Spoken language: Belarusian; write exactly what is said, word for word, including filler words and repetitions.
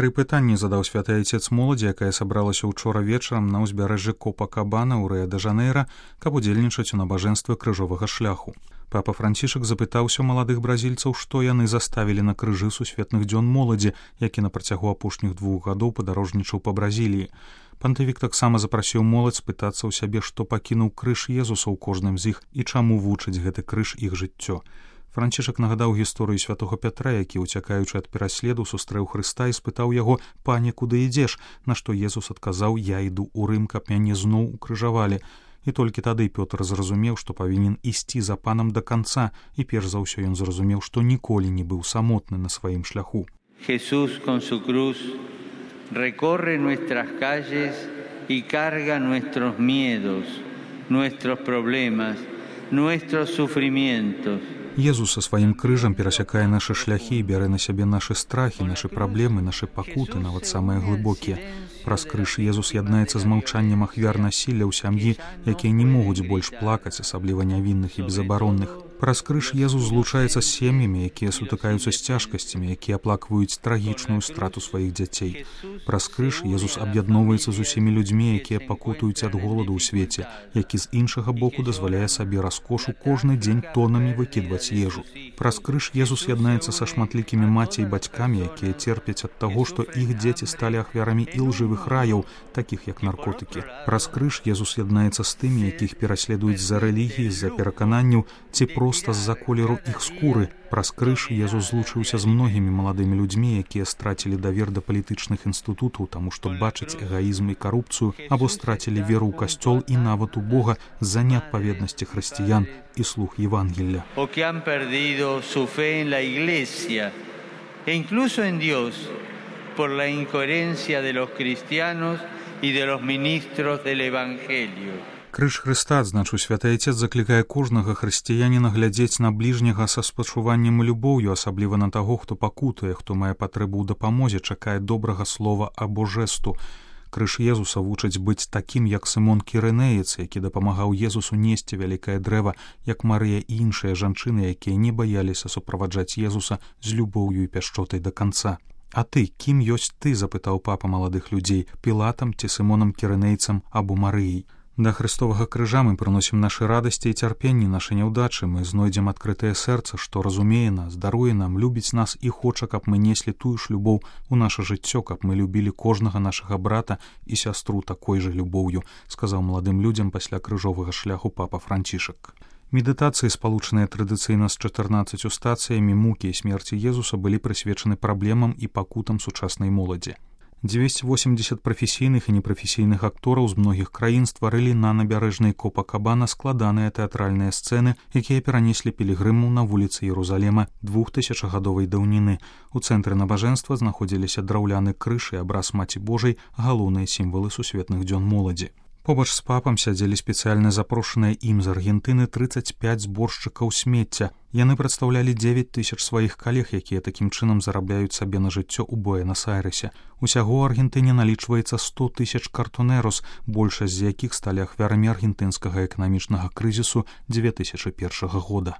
Тры пытанні задаў святы айцец моладзі, якая сабралася ўчора вечарам на ўзбярэжжы Копакабана ў Рыа-дэ-Жанэйра, каб удзельнічаць у набажэнстве крыжовага шляху. Папа Францішак запытаўся маладых бразільцаў, што яны заставілі на крыжы сусветных дзён моладзі, які на працягу апошніх двух гадоў падарожнічаў па Бразіліі. Пантывік таксама запрасіў моладзь спытацца ў сябе, што пакінуў крыж Езуса ў кожным з іх і чаму вучыць гэты крыж іх жыццё. Францішак нагадаў гісторыю святога Пятра, які, уцякаючы ад пераследу, сустрэў Хрыста і спытаў яго: «Пане, куды ідзеш?», на што Езус адказаў: «Я іду ў Рым, каб мяне зноў укрыжавалі». І толькі тады Пётр зразумеў, што павінен ісці за панам да канца, і перш за ўсё ён зразумеў, што ніколі не быў самотны на сваім шляху. Jesús con su cruz recorre nuestras calles y carga nuestros miedos, nuestros problemas, nuestros sufrimientos. Езус са сваім крыжам перасякае нашы шляхі і бярэ на сябе нашы страхі, нашы праблемы, нашы пакуты, нават самыя глыбокія. Праз крыж Езус яднаецца з маўчаннем ахвяр насілля ў сям'і, якія не могуць больш плакаць, асабліва нявінных і безабаронных. Праз крыж Езус злучаецца з сем'ямі, якія сутыкаюцца з цяжкасцямі, якія аплакваюць трагічную страту сваіх дзяцей. Праз крыж Езус аб'ядноўваецца з усімі людзьмі, якія пакутуюць ад голаду ў свеце, які з іншага боку дазваляе сабе раскошу кожны дзень тонамі выкідваць ежу. Праз крыж Езус яднаецца са шматлікімі маці і бацькамі, якія церпяць ад таго, што іх дзеці сталі ахвярамі ілжывых раяў, такіх як наркотыкі. Праз крыж Езус яднаецца з тымі, якіх пераследуюць з-за рэлігіі, з-за перакананняў ці проста з-за колеру іх скуры. Праз крыж Езус злучыўся з многімі маладымі людзьмі, якія страцілі давер да палітычных інстытутаў, таму што бачаць эгаізм і карупцыю, або страцілі веру ў касцёл і нават у Бога з-за неадпаведнасці хрысціян і слуг Евангелля. O que han perdido su fe en la Iglesia e incluso en Dios por la incoherencia de los cristianos y de los ministros del Evangelio. Крыж Хрыста, адзначыў святы айцец, заклікае кожнага хрысціяніна глядзець на бліжняга са спачуваннем і любоўю, асабліва на таго, хто пакутуе, хто мае патрэбу ў дапамозе, чакае добрага слова або жэсту. Крыж Езуса вучыць быць такім, як Сымон Кірынеец, які дапамагаў Езусу несці вялікае дрэва, як Марыя і іншыя жанчыны, якія не баяліся суправаджаць Езуса з любоўю і пяшчотай да канца. «А ты, кім ёсць ты?» – запытаў папа маладых людзей, Пілатам ці Сымонам Кірынейцам або Марыяй. Да Христовага крыжа мы прыносім нашы радасці і цярпенні, нашы няўдачы, мы знойдзем адкрытае сэрца, што разумее нас, даруе нам, любіць нас і хоча, каб мы неслі тую ж любоў у наша жыццё, каб мы любілі кожнага нашага брата і сястру такой жа любоўю, сказаў маладым людзям пасля крыжовага шляху папа Францішак. Медытацыі, спалучаныя традыцыйна з чатырнаццаццю стацыямі мукі і смерці Езуса, былі прысвечаны праблемам і пакутам сучаснай моладзі. дзвесце восемдзесят прафесійных і непрафесійных актораў з многіх краін стварылі на набярэжнай Копакабана складаныя тэатральныя сцэны, якія перанеслі пілігрымаў на вуліцы Ерусалема двухтысячагадовай даўніны. У цэнтры набажэнства знаходзіліся драўляны крыж і абраз Маці Божай, галоўныя сімвалы сусветных дзён моладзі. Побач з папам сядзелі спецыяльна запрошаныя ім з Аргентыны трыццаць пяць зборшчыкаў смецця. Яны прадстаўлялі дзевяць тысяч сваіх калег, якія такім чынам зарабляюць сабе на жыццё ў Буэнас-Айрэсе. Усяго ў Аргентыне налічваецца сто тысяч картунерус, большасць з якіх сталі ахвярамі аргентынскага эканамічнага крызісу дзве тысячы першага года.